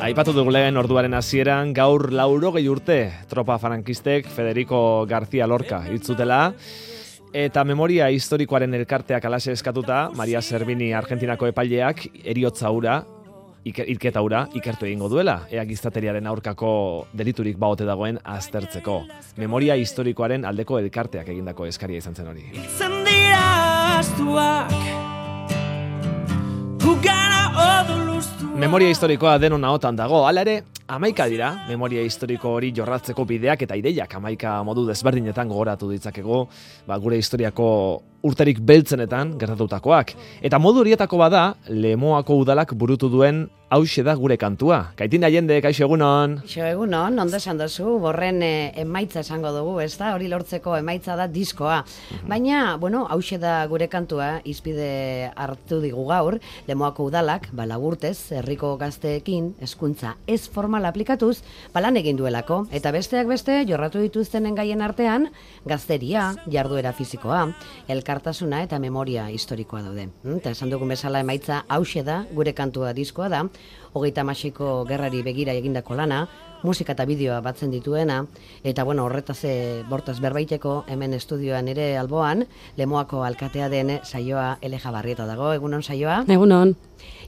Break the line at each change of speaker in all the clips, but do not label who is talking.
Aipatu dugu lehen orduaren hasieran gaur 80 urte tropa frankistek Federico García Lorca hitzutela eta memoria historikoaren elkarteak alaxe eskatuta Maria Servini Argentinako epaileak heriotza hura hilketa hura ikertu egingo duela, ea gizateriaren aurkako deliturik baote dagoen aztertzeko. Memoria historikoaren aldeko elkarteak egindako eskaria izan zen hori. Memoria historikoa denon ahotan dago, hala ere, 11 dira, memoria historiko hori jorratzeko bideak eta ideiak 11 modu desberdinetan gogoratu ditzakegu, gure historiako urterik beltzenetan gertatutakoak. Eta modu horietako bada, Lemoako udalak burutu duen hauxe da gure kantua. Kaitin Allende, kaixo egunon.
Kaixo egunon, ondo esan dozu, borren emaitza esango dugu, ez da? Hori lortzeko emaitza da diskoa. Baina, hauxe da gure kantua, izpide hartu digu gaur, Lemoako udalak, laburtez, herriko gazteekin, hezkuntza ez formal aplikatuz, lan egin duelako. Eta besteak beste, jorratu dituztenen gaien artean, gazteria, jarduera fizikoa, elkartasuna eta memoria historikoa daude. Eta esan dugun bezala emaitza hauxe da, gure kantua diskoa da, 36ko gerrari begira egindako lana, musika eta bideoa batzen dituena, eta horretaz berbaiteko hemen estudioan ere alboan, Lemoako alkatea den Saioa Eleja Barrieta dago, egunon Saioa?
Egunon.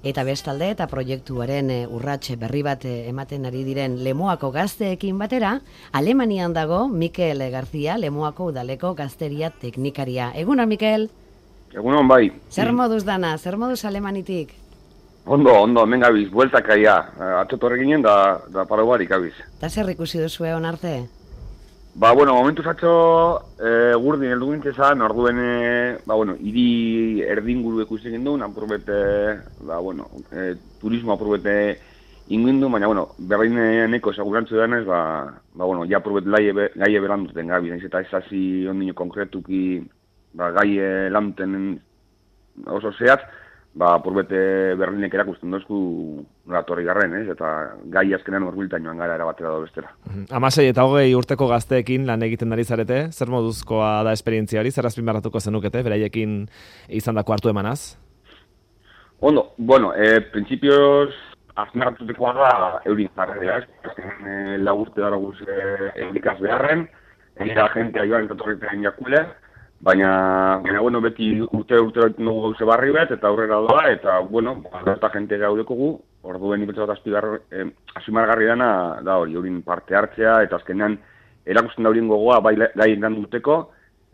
Eta bestalde eta proiektuaren urrats berri bat ematen ari diren Lemoako gazteekin batera, Alemanian dago Mikel García, Lemoako udaleko gazteria teknikaria. Egunon, Mikel?
Egunon, bai.
Zer moduz dana, zer moduz Alemanitik?
Ondo, hemen gabiz, bueltak aia. Atzotorre ginen da paraguarik gabiz.
Eta zer ikusi duzu egon arte?
Momentuz atzo gurdin heldu gintzezan, orduen, hiri erdinguru ikusi gindu, apurbete, turismo apurbete ingindu, baina, berreineko segurantzu denez, ja apurbet gaie belanduten gabiz, naiz eta ezazi ondino konkretuki gaie lantenen oso zehatz, apurbete Berlinek erakusten dozku ratorri garren, eta gai azkenean horbiltan joan gara erabatera da bestera.
16 eta 20 urteko gazteekin lan egiten ari zarete, zer moduzkoa da esperientzia hori, zer azpimarratuko zenukete, beraiekin izandako hartu emanaz?
Ondo, prinsipioz azpimarratutekoa da eurin zarredea, azkenean lagurte dara guz eulikaz beharren, egera agentea joan entotorretan jakule, baina beti urte dugu gauze barri bet, eta aurrera doa, eta, eta jente gaudekogu, orduen ipetxat azpimargarri dana da hori, eurin parte hartzea, eta azkenean erakusten da horien gogoa, bai gai elan duteko,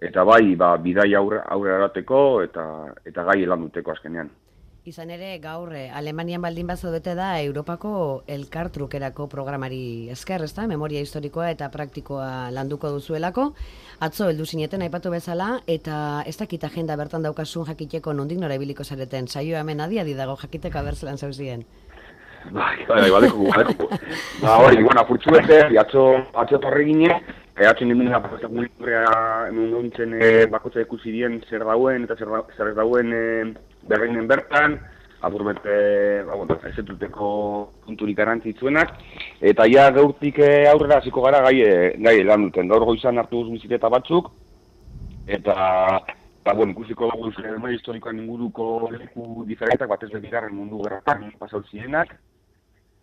eta bai bidai aurrera erateko, eta gai elan duteko azkenean.
Izan ere, gaur, Alemanian baldin bazaudete da Europako elkartrukerako programari esker, ezta? Memoria historikoa eta praktikoa landuko duzuelako. Atzo heldu zineten aipatu bezala, eta ez dakit agenda bertan daukasun jakiteko nondik nora ibiliko zareten. Saioa hemen adi dago jakiteko abertzelan zauzien.
Badeko. Hori, apurtzu bete, atzo torri gine, atzo ninduen hemen gontzen bakotza ikusi dien zer dauen eta zer dauen berreinen bertan, apurbete, ezetuteko punturik garrantzitzuenak, eta ja gaurtik aurrera hasiko gara gai lan duten. Gaur goizan hartu guz biziteta batzuk, eta ikusiko dugu memoria historikoan inguruko leku diferentak, batez bigarren mundu gerratan pasau zirenak.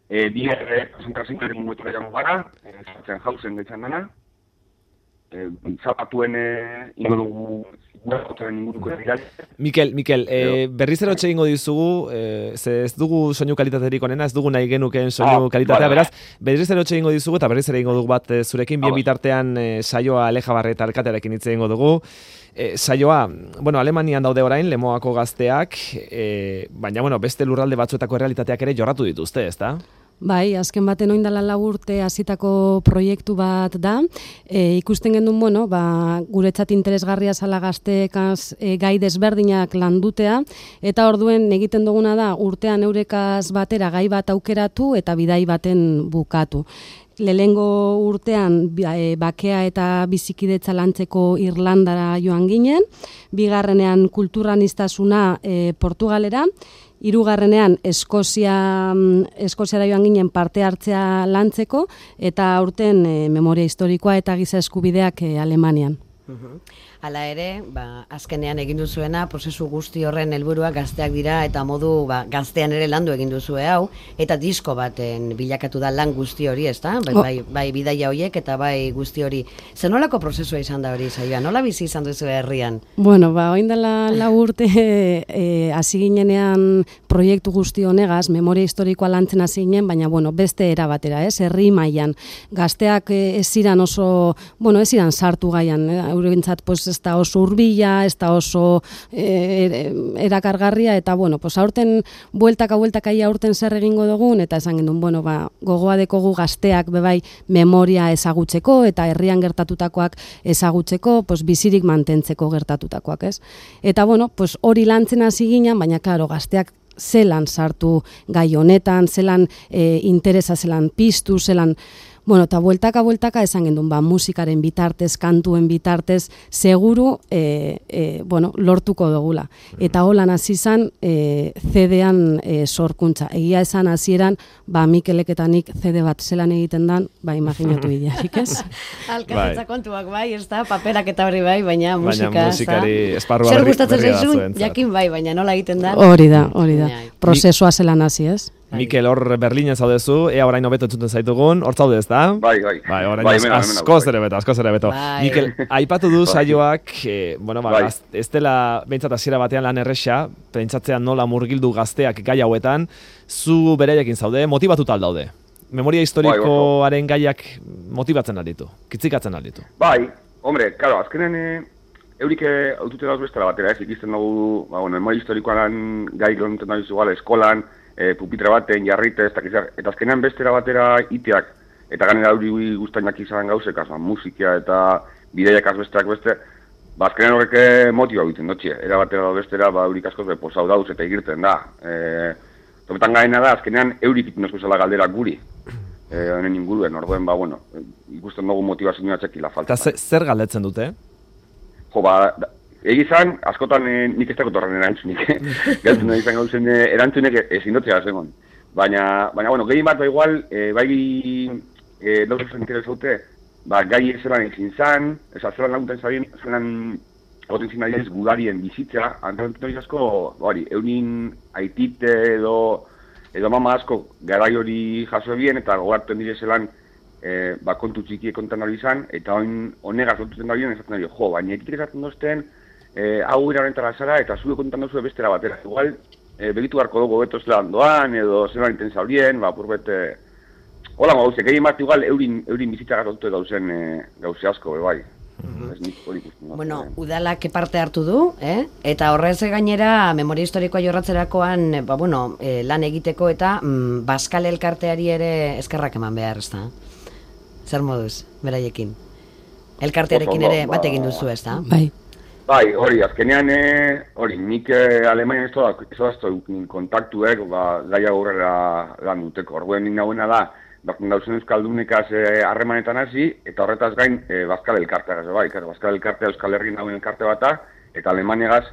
Biher konzentrazioaren munduetura jango gara, Sachsenhausen gaitzan dana. Zapatuen ingo dugu inguruko erdirai.
Mikel, berriz erotxe egingo dizugu, ez dugu soinu kalitaterik onena, ez dugu nahi genukeen soinu kalitatea, beraz, berriz erotxe egingo dizugu eta berriz ere egingo dugu bat zurekin, bien bitartean Saioa Eleja Barrieta alkatearekin hitz egingo dugu. Saioa, Alemanian daude orain, Lemoako gazteak, baina, beste lurralde batzuetako errealitateak ere jorratu dituzte, ezta?
Bai, azken baten oindala 4 urte hasitako proiektu bat da. Ikusten gendun, guretzat interesgarria zala gazteekaz gai desberdinak landutea, eta orduen egiten duguna da urtean eurekaz batera gai bat aukeratu eta bidai baten bukatu. Lehengo urtean bakea eta bizikidetza lantzeko Irlandara joan ginen, bigarrenean kulturaniztasuna Portugalera, hirugarrenean Eskoziara joan ginen parte hartzea lantzeko, eta aurten memoria historikoa eta giza eskubideak Alemanian.
Hala ere, azkenean egin duzuena, prozesu guzti horren helburua gazteak dira eta modu gaztean ere landu egin duzue hau, eta disko baten bilakatu da lan guzti hori, ezta? Bai bidaia horiek eta bai guzti hori. Zer nolako prozesua izan da hori, saioa? Nola bizi izan duzu herrian?
Bueno, orain dela 4 urte hasi ginenean proiektu guzti honegaz, memoria historikoa lantzen hasi ginen, baina beste era batera, herri mailan. Gazteak ez ziran oso, ez ziran sartu gaian, eurentzat ez da oso hurbila, ez da oso erakargarria, eta aurten bueltaka aurten zer egingo dugun, eta esan gendun, gogoa dekogu gazteak bebai memoria ezagutzeko, eta herrian gertatutakoak ezagutzeko, bizirik mantentzeko gertatutakoak, ez? Eta hori lantzen hasi ginen, baina klaro, gazteak zelan sartu gai honetan, zelan interesa, zelan piztu, zelan... eta bueltaka esan gendun, musikaren bitartez, kantuen bitartez, seguru, lortuko dugula. Eta holan hasi izan CD-an sorkuntza. Egia esan hasieran, Mikelek eta nik CD bat zelan egiten dan, imaginatu bidearik, ez?
Alkazatza kontuak ez da, paperak eta hori baina musika,
baina musikari esparrua
zer gustatzen zaizun, jakin baina nola egiten da?
Hori da. Prozesua zelan hasi, ez?
Mikel, hor Berlinen zaudezu, ea orain hobeto entzuten zaitugun, hor zaude ez da?
Bai.
Orain askoz ere beto. Mikel, aipatu du saioak, ez dela behintzat hasiera batean lan erresa, pentsatzean nola murgildu gazteak gai hauetan, zu bereiekin zaude, motibatuta aldaude. Memoria historikoaren gaiak motibatzen alditu, kitzikatzen alditu.
Bai, hombre, karo, azkenen eurik autute dauz bestela batera, ez ikizten dugu, memoria historikoan gai lonten dauz igual, eskolan, pupitre baten, jarritez, eta azkenean bestera batera iteak, eta ganera hori guztainak izan gauzekaz, musikia eta bideiak azbesteak beste, azkenean horrek motiba egiten dutxe, era batera da bestera, eurik askoz posau dauz eta egirten da. Topetan gaina da, azkenean eurik ikunesko zela galdera guri, honen inguruen, orduen, ikusten dugu motivazioa txekila falta.
Eta zer galdetzen dute?
Egizan, askotan nik ez dakot horren erantzunik, galtzen izan gauzen erantzunek ezin dotzea zegoen. Baina, gehien bat igual, dauzak zentzera zaute, gai zelan ezin zan, zelan lagunten zabien, zelan egoten zin nahi gudarien bizitza, antzatzen asko, eurin aitite edo mama asko garai hori jaso ebien, eta gogartzen dire zelan kontu txikie kontan hori izan, eta honegaz lotuten da bion, esaten da baina ekitek esaten dozten, hau irarentara zara eta zure kontan duzu bestera batera. Igual, begitu harko dugu beto zelan doan, edo zelan intensa horien, purbete... Hola, gauzek, egin bat igual eurin bizitza gazotute dauzen gauze asko, bai.
Udalak parte hartu du, eta horrez gainera memoria historikoa jorratzerakoan lan egiteko eta Baskal elkarteari ere eskerrak eman behar, ez da? Zer moduz, beraiekin? Elkartearekin ere bat egin duzu, ez da?
Bai, hori, azkenean, nik Alemanian ez dazto kontaktuek, gaia horrela lan duteko. Orduan nik nahuena da, dauzen euskaldunekaz harremanetan hasi, eta horretaz gain Baskal elkarteagaz, bai, Baskal elkartea Euskal Herrin nauen elkarte bata, eta Alemaniagaz,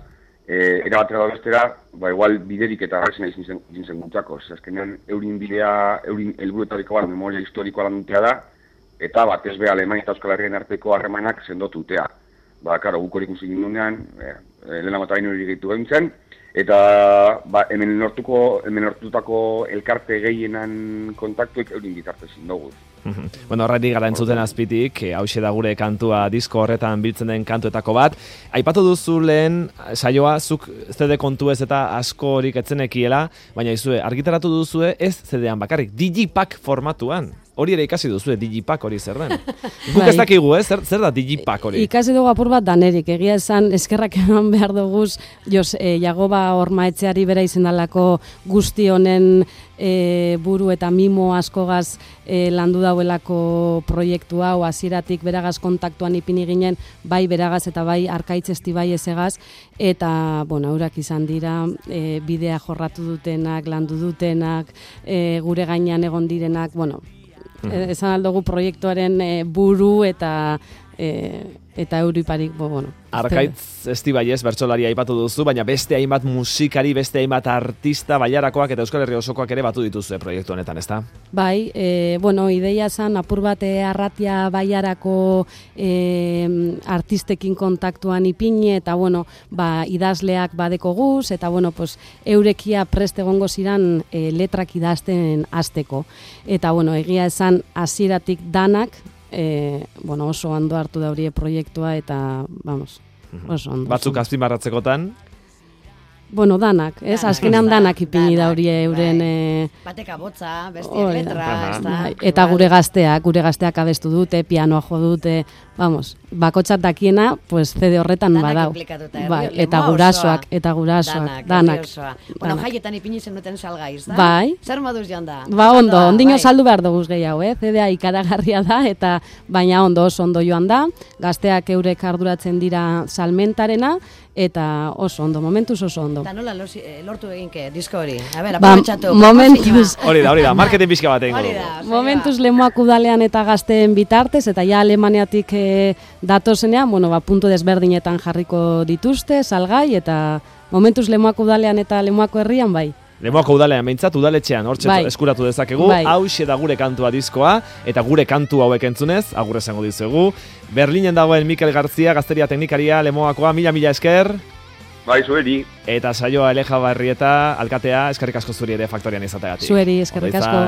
erabatera da bestera, igual biderik eta garresen izin zen gutako. Azkenean, eurin bidea, eurin helburuetariko bat, memoria historikoa lan dutea da, eta batez be Alemania eta Euskal Herrien arteko harremanak sendotutea. Karo, guk hori ikusi gindunean, lehena bat hain hori gehitu behintzen, eta hemen lortutako elkarte gehienan kontaktuek eurin bitartez indogu.
Horretik gara entzuten azpitik, hauxe da gure kantua disko horretan biltzen den kantuetako bat. Aipatu duzu lehen, saioa, zuk CD kontu ez eta asko horik etzenekiela, baina izue, argitaratu duzue ez CD-an bakarrik, Digipack formatuan. Hori ere ikasi duzu, Digipack hori zer den. Guk ez dakigu, zer da Digipack hori?
Ikasi dugu apur bat danerik, egia esan eskerrak eman behar duguz, Jagoba Ormaetxeari bera izendalako guzti honen buru eta mimo askogaz landu dauelako proiektu hau, hasieratik beragaz kontaktuan ipini ginen, bai beragaz eta bai Arkaitz Estibai ezegaz, eta, eurak izan dira bidea jorratu dutenak, landu dutenak, gure gainean egon direnak, esan aldugu proiektuaren buru eta eta euriparik, bueno.
Arkaitz Estibaiez bertsolaria aipatu duzu, baina beste hainbat musikari, beste hainbat artista Baiarakoak eta Euskal Herria osokoak ere batu dituzue proiektu honetan, ezta?
Bai, bueno, ideia zan apur bat Arratia Baiarako artistekin kontaktuan ipini eta bueno, idazleak badeko guz eta bueno, pues eurekia prest egongo ziran letrak idazten hasteko. Eta bueno, egia esan hasieratik danak bueno, oso ondo hartu da hori proiektua eta vamos, oso ondo.
Batzuk azpimarratzekotan?
Bueno, danak, ez? Azkenean danak ipini da hori euren...
Batek abotza, bestiak letra, ez da.
Eta gure gazteak abestu dute, pianoa jo dute, vamos, bakotxat dakiena, pues CD horretan badau. Bai, eta gurasoak, danak.
Bueno, jaietan ipini zenuten salgaiz, da?
Bai.
Zer moduz joan da?
Ondo, ondino saldu behar duguz gehiago, CD-a ikaragarria da, eta baina oso ondo joan da, gazteak eurek arduratzen dira salmentarena, eta oso ondo, momentuz oso ondo.
Eta nola lortu eginke, disko hori? A ber, aprobetxatu.
Momentuz.
Hori da, marketing pixka bat egingo dugu.
Momentuz Lemoak udalean eta gazteen bitartez, eta ja Alemaniatik datozenean, bueno, puntu desberdinetan jarriko dituzte, salgai, eta momentuz Lemoak udalean eta Lemoako herrian bai.
Lemoako udalean behintzat, udaletxean hortxe eskuratu dezakegu, hauxe da gure kantua diskoa, eta gure kantu hauek entzunez, agur esango dizuegu. Berlinen dagoen Mikel Garzia, gazteria teknikaria, Lemoakoa, mila esker.
Bai, zueri.
Eta saioa Eleja Barrieta, alkatea, eskerrik asko zuri ere faktorian izategatik.
Zueri, eskerrik asko.